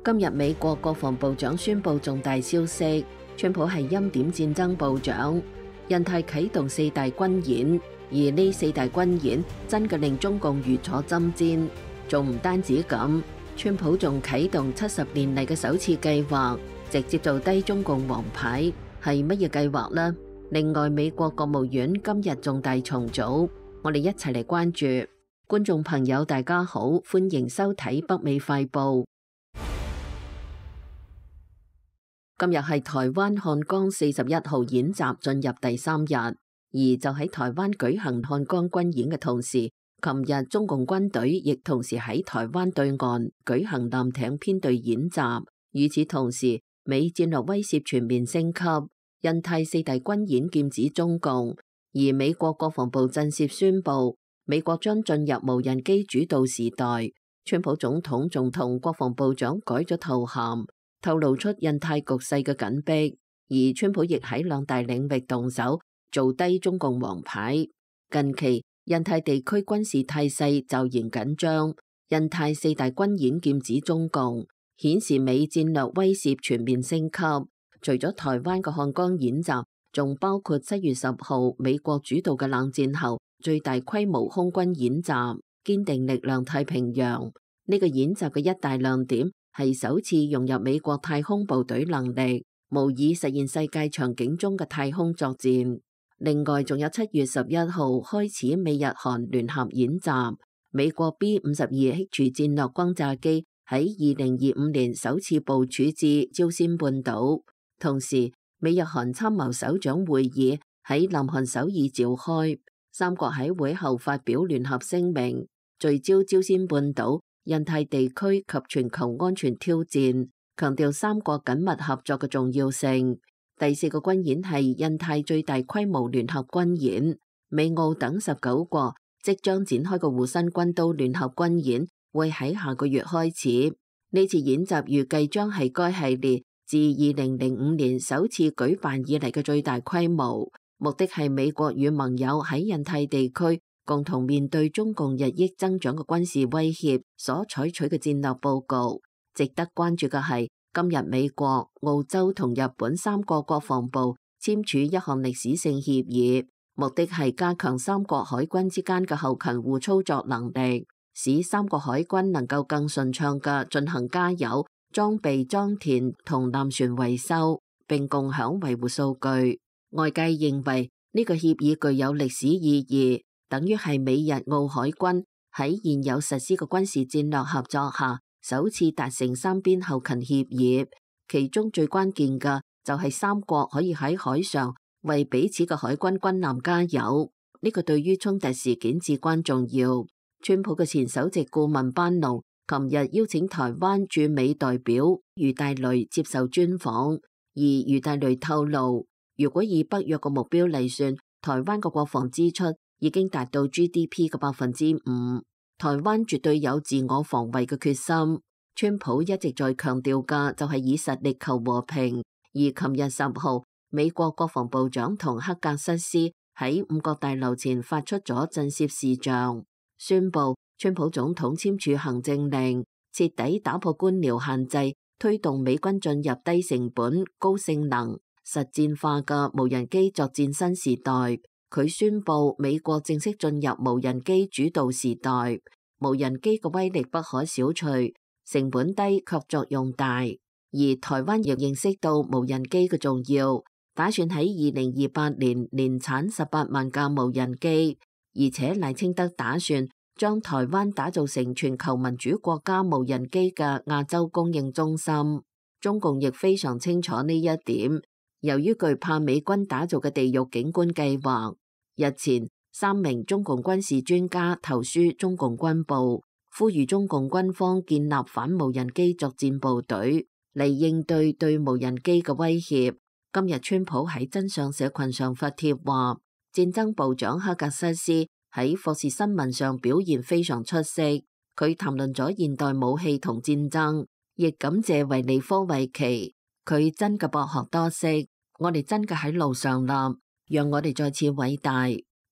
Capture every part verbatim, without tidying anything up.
今日美國國防部長宣布重大消息，川普係欽點戰爭部長，印太啟動四大軍演，而呢四大軍演真嘅令中共如坐針氈。仲唔單止咁，川普仲啟動七十年嚟嘅首次計劃，直接做低中共王牌，係乜嘢計劃呢？另外，美國國務院今日重大重組，我哋一齊嚟關注。觀眾朋友大家好，歡迎收睇北美快報。今日係台灣漢江四十一號演習進入第三日，而就喺台灣舉行漢江軍演嘅同時，琴日中共軍隊亦同時喺台灣對岸舉行艦艇編隊演習。與此同時，美戰略威懾全面升級，印太四大軍演劍指中共，而美國國防部震懾宣布，美國將進入無人機主導時代。川普總統仲同國防部長改咗頭銜，透露出印太局勢嘅緊迫，而川普亦喺兩大領域動手，做低中共王牌。近期印太地區軍事態勢驟然緊張，印太四大軍演劍指中共，顯示美戰略威懾全面升級。除咗台灣嘅漢江演習，仲包括七月十號美國主導嘅冷戰後最大規模空軍演習，堅定力量太平洋。呢個演習嘅一大亮點係首次融入美國太空部隊能力，模擬實現世界場景中嘅太空作戰。另外，仲有七月十一號開始美日韓聯合演習，美國 B 五十二 H 戰略轟炸機喺二零二五年首次部署至朝鮮半島。同時，美日韓參謀首長會議喺南韓首爾召開，三國喺會後發表聯合聲明，聚焦朝鮮半島、印太地區及全球安全挑戰，強調三國緊密合作嘅重要性。第四個軍演係印太最大規模聯合軍演，美澳等十九國即將展開嘅護身軍刀聯合軍演會喺下個月開始。呢次演習預計將係該系列自二零零五年首次舉辦以嚟嘅最大規模，目的係美國與盟友喺印太地區共同面對中共日益增長嘅軍事威脅所採取嘅戰略報告。值得關注嘅係，今日美國、澳洲同日本三國國防部簽署一項歷史性協議，目的係加強三國海軍之間嘅後勤互操作能力，使三國海軍能夠更順暢嘅進行加油、裝備裝填同艦船維修，並共享維護數據。外界認為呢個協議具有歷史意義，等於係美日澳海軍喺現有實施嘅軍事戰略合作下首次達成三邊後勤協議。其中最關鍵嘅就係三國可以喺海上為彼此嘅海軍軍艦加油，呢個對於衝突事件至關重要。川普嘅前首席顧問班農琴日邀請台灣駐美代表余大雷接受專訪，而余大雷透露，如果以北約嘅目標嚟算，台灣嘅國防支出已經達到 G D P 嘅百分之五，台灣絕對有自我防衛嘅決心。川普一直在強調嘅就係以實力求和平，而琴日十號，美國國防部長同黑格瑟斯喺五角大樓前發出咗震懾視像，宣布川普總統簽署行政令，徹底打破官僚限制，推動美軍進入低成本、高性能、實戰化嘅無人機作戰新時代。佢宣布美國正式進入無人機主導時代，無人機嘅威力不可小覷，成本低卻作用大。而台灣亦認識到無人機嘅重要，打算喺二零二八年年產十八萬架無人機，而且賴清德打算將台灣打造成全球民主國家無人機嘅亞洲供應中心。中共亦非常清楚呢一點，由於懼怕美軍打造嘅地獄景觀計劃，日前三名中共軍事專家投書中共軍部，呼籲中共軍方建立反無人機作戰部隊嚟應對對無人機嘅威脅。今日川普喺真相社群上發帖話，戰爭部長黑格瑟斯喺霍士新聞上表現非常出色，佢談論咗現代武器同戰爭，亦感謝維尼科維奇，佢真嘅博學多識，我哋真嘅喺路上啦，讓我哋再次偉大。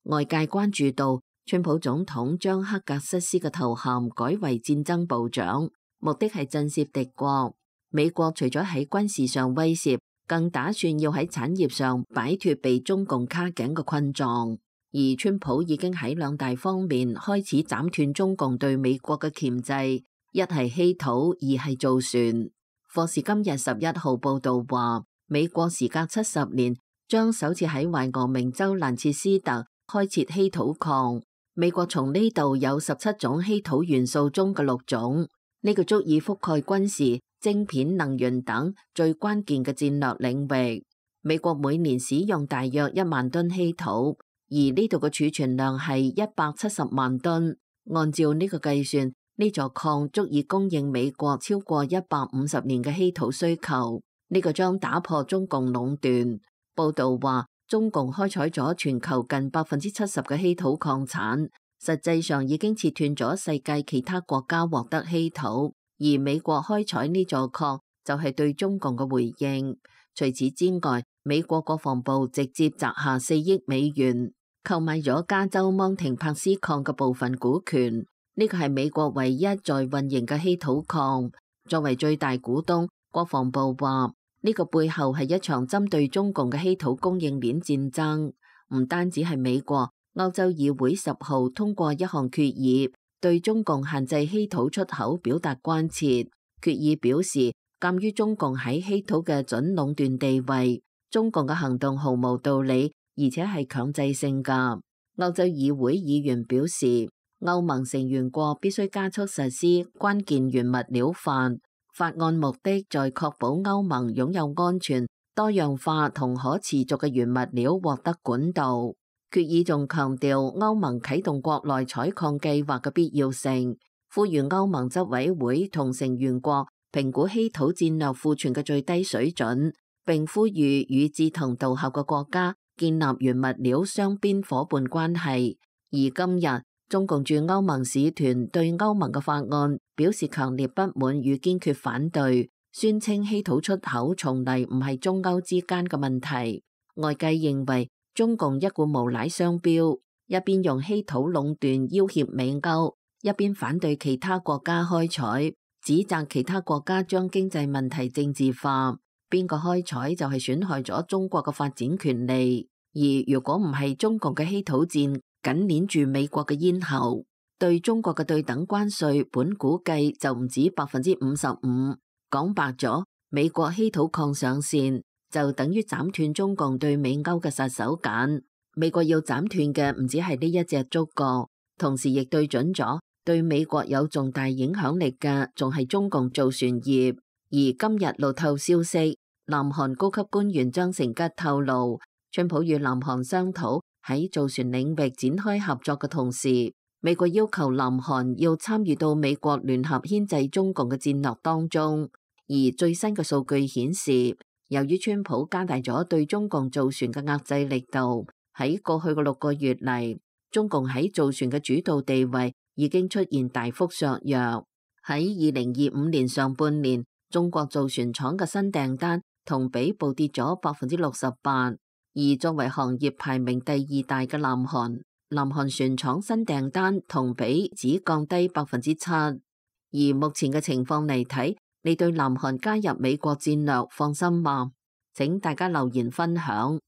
外界關注到川普總統將黑格瑟斯嘅頭銜改為戰爭部長，目的係震懾敵國。美國除咗喺軍事上威懾，更打算要喺產業上擺脫被中共卡頸嘅困狀。而川普已經喺兩大方面開始斬斷中共對美國嘅鉗制，一係稀土，二係造船。霍士今日十一號報道話，美國時隔七十年將首次喺懷俄明州蘭切斯特開設稀土礦。美國從呢度有十七種稀土元素中嘅六種，呢個足以覆蓋軍事、晶片、能源等最關鍵嘅戰略領域。美國每年使用大約一萬噸稀土，而呢度嘅儲存量係一百七十萬噸。按照呢個計算，呢座礦足以供應美國超過一百五十年嘅稀土需求。呢個將打破中共壟斷。報道話，中共開採咗全球近百分之七十嘅稀土礦產，實際上已經切斷咗世界其他國家獲得稀土。而美國開採呢座礦就係對中共嘅回應。除此之外，美國國防部直接砸下四億美元購買咗加州芒廷帕斯礦嘅部分股權。呢個係美國唯一在運營嘅稀土礦。作為最大股東，國防部話呢個背後係一場針對中共嘅稀土供應鏈戰爭。唔單止係美國，歐洲議會十號通過一項決議，對中共限制稀土出口表達關切。決議表示，鑒於中共喺稀土嘅準壟斷地位，中共嘅行動毫無道理，而且係強制性㗎。歐洲議會議員表示，歐盟成員國必須加速實施關鍵原物料法。法案目的在確保歐盟擁有安全、多樣化同可持續嘅原物料獲得管道。決議仲強調歐盟啟動國內採礦計劃嘅必要性，呼籲歐盟執委會同成員國評估稀土戰略庫存嘅最低水準，並呼籲與志同道合嘅國家建立原物料雙邊夥伴關係。而今日，中共駐歐盟使團對歐盟嘅法案表示強烈不滿與堅決反對，宣稱稀土出口從嚟唔係中歐之間嘅問題。外界認為中共一股無賴雙標，一邊用稀土壟斷要挾美歐，一邊反對其他國家開採，指責其他國家將經濟問題政治化。邊個開採就係損害咗中國嘅發展權利。而如果唔係中共嘅稀土戰緊鏈住美國嘅咽喉，對中國嘅對等關稅本估計就唔止百分之五十五。講白咗，美國稀土礦上線就等於斬斷中共對美歐嘅殺手鐧。美國要斬斷嘅唔止係呢一隻竹角，同時亦對準咗對美國有重大影響力嘅仲係中共造船業。而今日路透消息，南韓高級官員張成吉透露，川普與南韓商討喺造船領域展開合作嘅同時，美國要求南韓要參與到美國聯合牽制中共嘅戰略當中。而最新嘅數據顯示，由於川普加大咗對中共造船嘅壓制力度，喺過去嘅六個月嚟，中共喺造船嘅主導地位已經出現大幅削弱。喺二零二五年上半年，中國造船廠嘅新訂單同比暴跌咗百分之六十八。而作為行業排名第二大嘅南韓，南韓船廠新訂單同比只降低百分之七。而目前嘅情況嚟睇，你對南韓加入美國戰略放心嗎？請大家留言分享。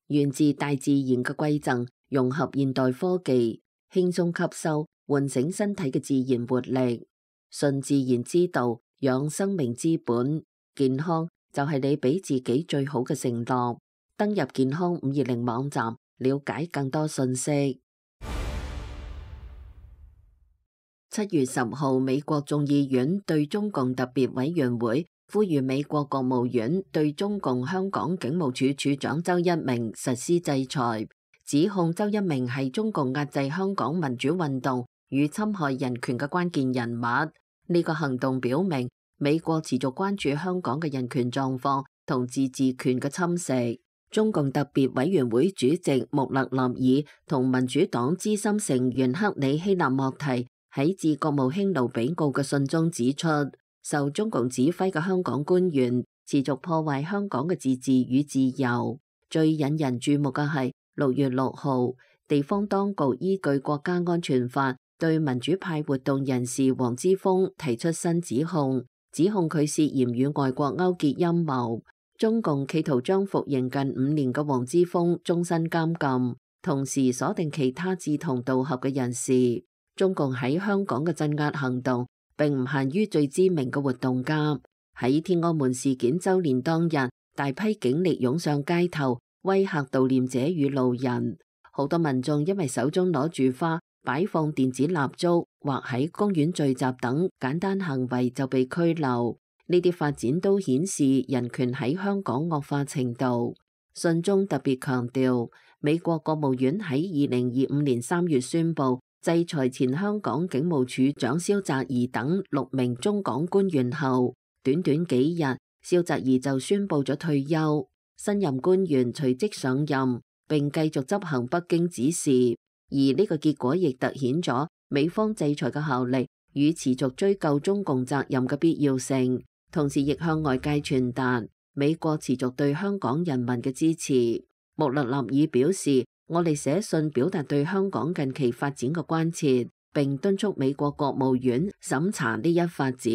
源自大自然嘅饋贈，融合現代科技，輕鬆吸收，喚醒身體嘅自然活力。順自然之道，養生命之本。健康就係你俾自己最好嘅承諾。登入健康五二零網站，了解更多信息。七月十號，美國眾議院對中共特別委員會呼籲美國國務院對中共香港警務處處長周一鳴實施制裁，指控周一鳴係中共壓制香港民主運動與侵害人權嘅關鍵人物。呢個行動表明美國持續關注香港嘅人權狀況同自治權嘅侵蝕。中共特別委員會主席穆勒納爾同民主黨資深成員克里希納莫提喺致國務卿盧比奧嘅信中指出，受中共指揮嘅香港官員持續破壞香港嘅自治與自由。最引人注目嘅係六月六號，地方當局依據國家安全法對民主派活動人士黃之鋒提出新指控，指控佢涉嫌與外國勾結陰謀。中共企圖將服刑近五年嘅黃之鋒終身監禁，同時鎖定其他志同道合嘅人士。中共喺香港嘅鎮壓行動並唔限於最知名嘅活動家。喺天安門事件週年當日，大批警力湧上街頭，威嚇悼念者與路人。好多民眾因為手中攞住花、擺放電子蠟燭或喺公園聚集等簡單行為就被拘留。呢啲發展都顯示人權喺香港惡化程度。信中特別強調，美國國務院喺二零二五年三月宣布制裁前香港警務處長蕭澤頤等六名中港官員後，短短幾日，蕭澤頤就宣布咗退休，新任官員隨即上任並繼續執行北京指示。而呢個結果亦突顯咗美方制裁嘅效力與持續追究中共責任嘅必要性。同時亦向外界傳達美國持續對香港人民嘅支持。穆勒納爾表示，我哋寫信表達對香港近期發展嘅關切，並敦促美國國務院審查呢一發展，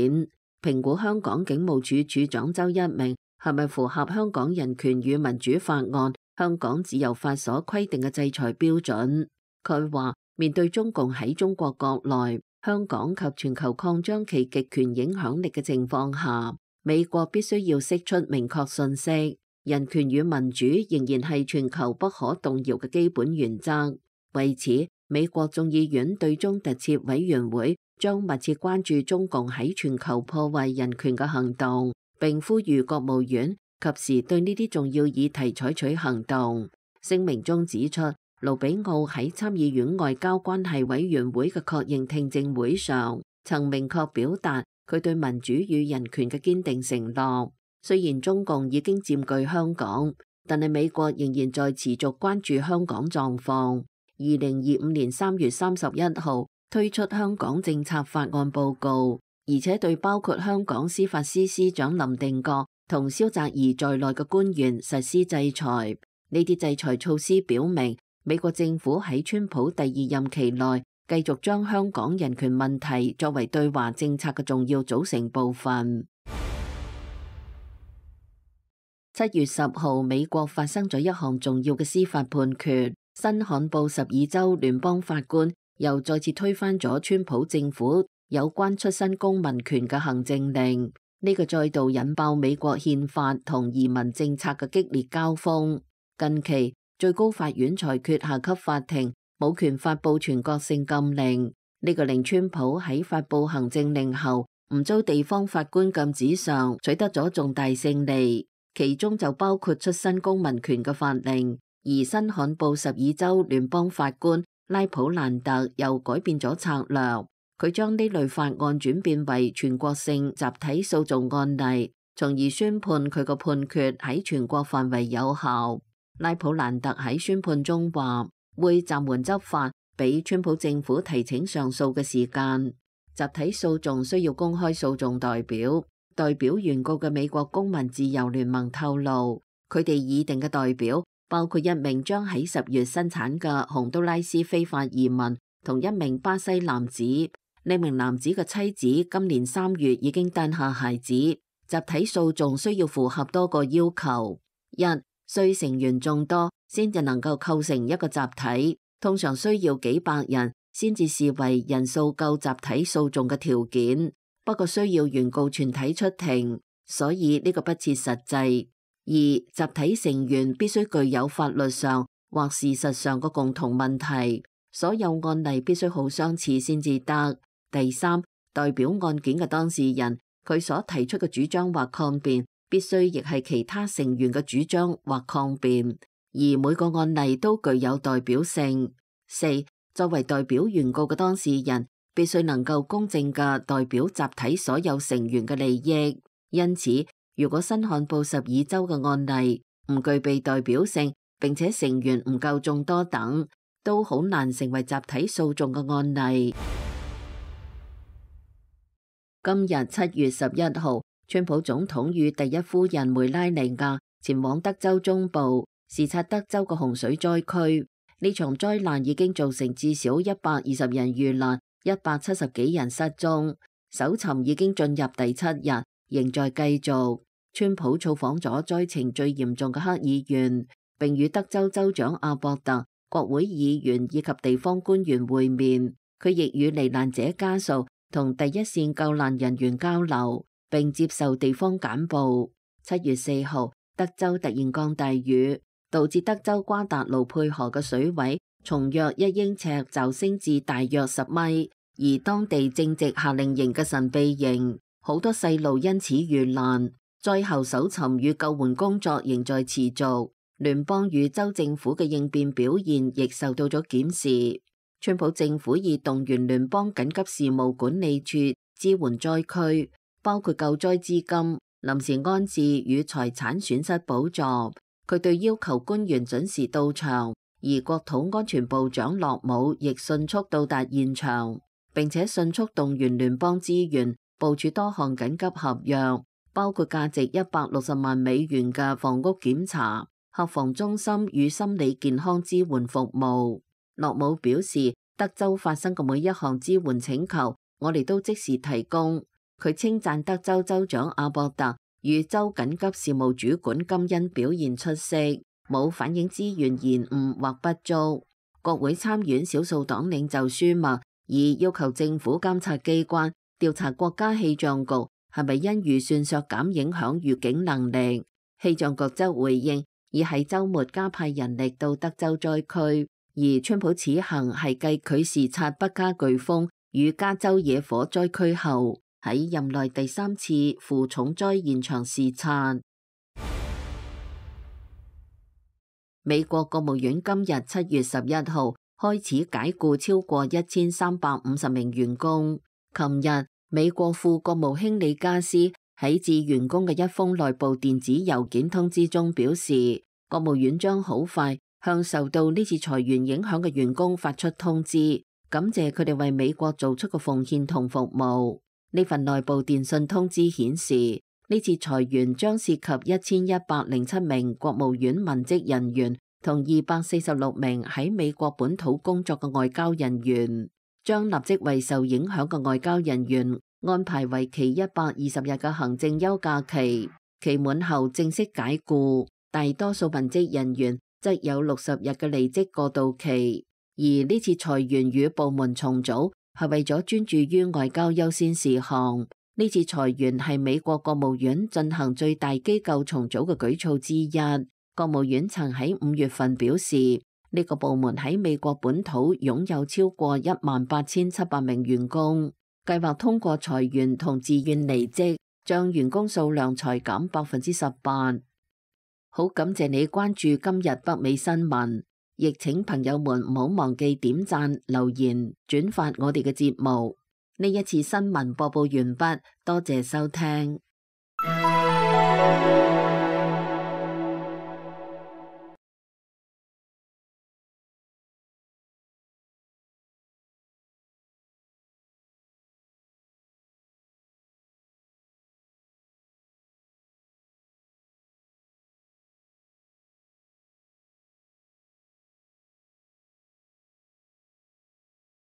評估香港警務處處長周一鳴係咪符合香港人權與民主法案、香港自由法所規定嘅制裁標準。佢話，面對中共喺中國國內、香港及全球擴張其極權影響力嘅情況下，美國必須要釋出明確信息，人權與民主仍然係全球不可動搖嘅基本原則。為此，美國眾議院對中特設委員會將密切關注中共喺全球破壞人權嘅行動，並呼籲國務院及時對呢啲重要議題採取行動。聲明中指出，盧比奧喺參議院外交關係委員會嘅確認聽證會上，曾明確表達佢對民主與人權嘅堅定承諾。雖然中共已經佔據香港，但係美國仍然在持續關注香港狀況。二零二五年三月三十一號推出香港政策法案報告，而且對包括香港司法司司長林定國同蕭澤頤在內嘅官員實施制裁。呢啲制裁措施表明，美國政府喺川普第二任期內繼續將香港人權問題作為對華政策嘅重要組成部分。七月十號，美國發生咗一項重要嘅司法判決，新罕布什爾州聯邦法官又再次推翻咗川普政府有關出身公民權嘅行政令。呢個再度引爆美國憲法同移民政策嘅激烈交鋒。近期，最高法院裁決下級法庭冇權發布全國性禁令，呢個令川普喺發布行政令後唔遭地方法官禁止上取得咗重大勝利，其中就包括出身公民權嘅法令。而新罕布什爾州聯邦法官拉普蘭特又改變咗策略，佢將呢類法案轉變為全國性集體訴訟案例，從而宣判佢個判決喺全國範圍有效。拉普蘭特喺宣判中話，會暫緩執法，俾川普政府提請上訴嘅時間。集體訴訟需要公開訴訟代表，代表原告嘅美國公民自由聯盟透露，佢哋擬定嘅代表包括一名將喺十月生產嘅洪都拉斯非法移民，同一名巴西男子。呢名男子嘅妻子今年三月已經誕下孩子。集體訴訟需要符合多個要求：一、需成員眾多，先至能夠構成一個集體，通常需要幾百人先至視為人數夠集體訴訟嘅條件。不過需要原告全體出庭，所以呢個不切實際。二、集體成員必須具有法律上或事實上嘅共同問題，所有案例必須好相似先至得。第三，代表案件嘅當事人，佢所提出嘅主張或抗辯，必須亦係其他成員嘅主張或抗辯，而每個案例都具有代表性。四、作為代表原告嘅當事人，必須能夠公正嘅代表集體所有成員嘅利益。因此，如果新罕布什爾州嘅案例唔具備代表性，並且成員唔夠眾多等，都好難成為集體訴訟嘅案例。今日七月十一號，川普總統與第一夫人梅拉尼亞前往德州中部視察德州嘅洪水災區。呢場災難已經造成至少一百二十人遇難，一百七十幾人失蹤，搜尋已經進入第七日，仍在繼續。川普造訪咗災情最嚴重嘅黑議園，並與德州州長阿博特、國會議員以及地方官員會面。佢亦與罹難者家屬同第一線救難人員交流，並接受地方簡報。七月四號，德州突然降大雨，導致德州瓜達盧佩河嘅水位從約一英尺驟升至大約十米，而當地正值夏令營嘅神秘營，好多細路因此遇難。災後搜尋與救援工作仍在持續，聯邦與州政府嘅應變表現亦受到咗檢視。川普政府已動員聯邦緊急事務管理處支援災區，包括救災資金、臨時安置與財產損失補助。佢對要求官員準時到場，而國土安全部長洛姆亦迅速到達現場，並且迅速動員聯邦資源，部署多項緊急合約，包括價值一百六十萬美元嘅房屋檢查、客房中心與心理健康支援服務。洛姆表示，德州發生嘅每一項支援請求，我哋都即時提供。佢稱讚德州州長阿博特與州緊急事務主管金恩表現出色，冇反映資源延誤或不足。國會參院少數黨領袖舒默已要求政府監察機關調查國家氣象局係咪因預算削減影響預警能力。氣象局則回應，已喺週末加派人力到德州災區。而川普此行係繼佢視察北加颶風與加州野火災區後，喺任內第三次赴重災現場視察。美國國務院今日七月十一號開始解僱超過一千三百五十名員工。琴日，美國副國務卿李加斯喺致員工嘅一封內部電子郵件通知中表示，國務院將好快向受到呢次裁員影響嘅員工發出通知，感謝佢哋為美國做出嘅奉獻同服務。呢份內部電訊通知顯示，呢次裁員將涉及一千一百零七名國務院文職人員同二百四十六名喺美國本土工作嘅外交人員，將立即為受影響嘅外交人員安排為期一百二十日嘅行政休假期，期滿後正式解僱。大多數文職人員則有六十日嘅離職過渡期，而呢次裁員與部門重組係為咗專注於外交優先事項。呢次裁員係美國國務院進行最大機構重組嘅舉措之一。國務院曾喺五月份表示，呢個部門喺美國本土擁有超過一萬八千七百名員工，計劃通過裁員同自願離職，將員工數量裁減百分之十八。好感謝你關注今日北美新聞，亦請朋友們唔好忘記點讚、留言、轉發我哋嘅節目。呢一次新聞播報完畢，多謝收聽。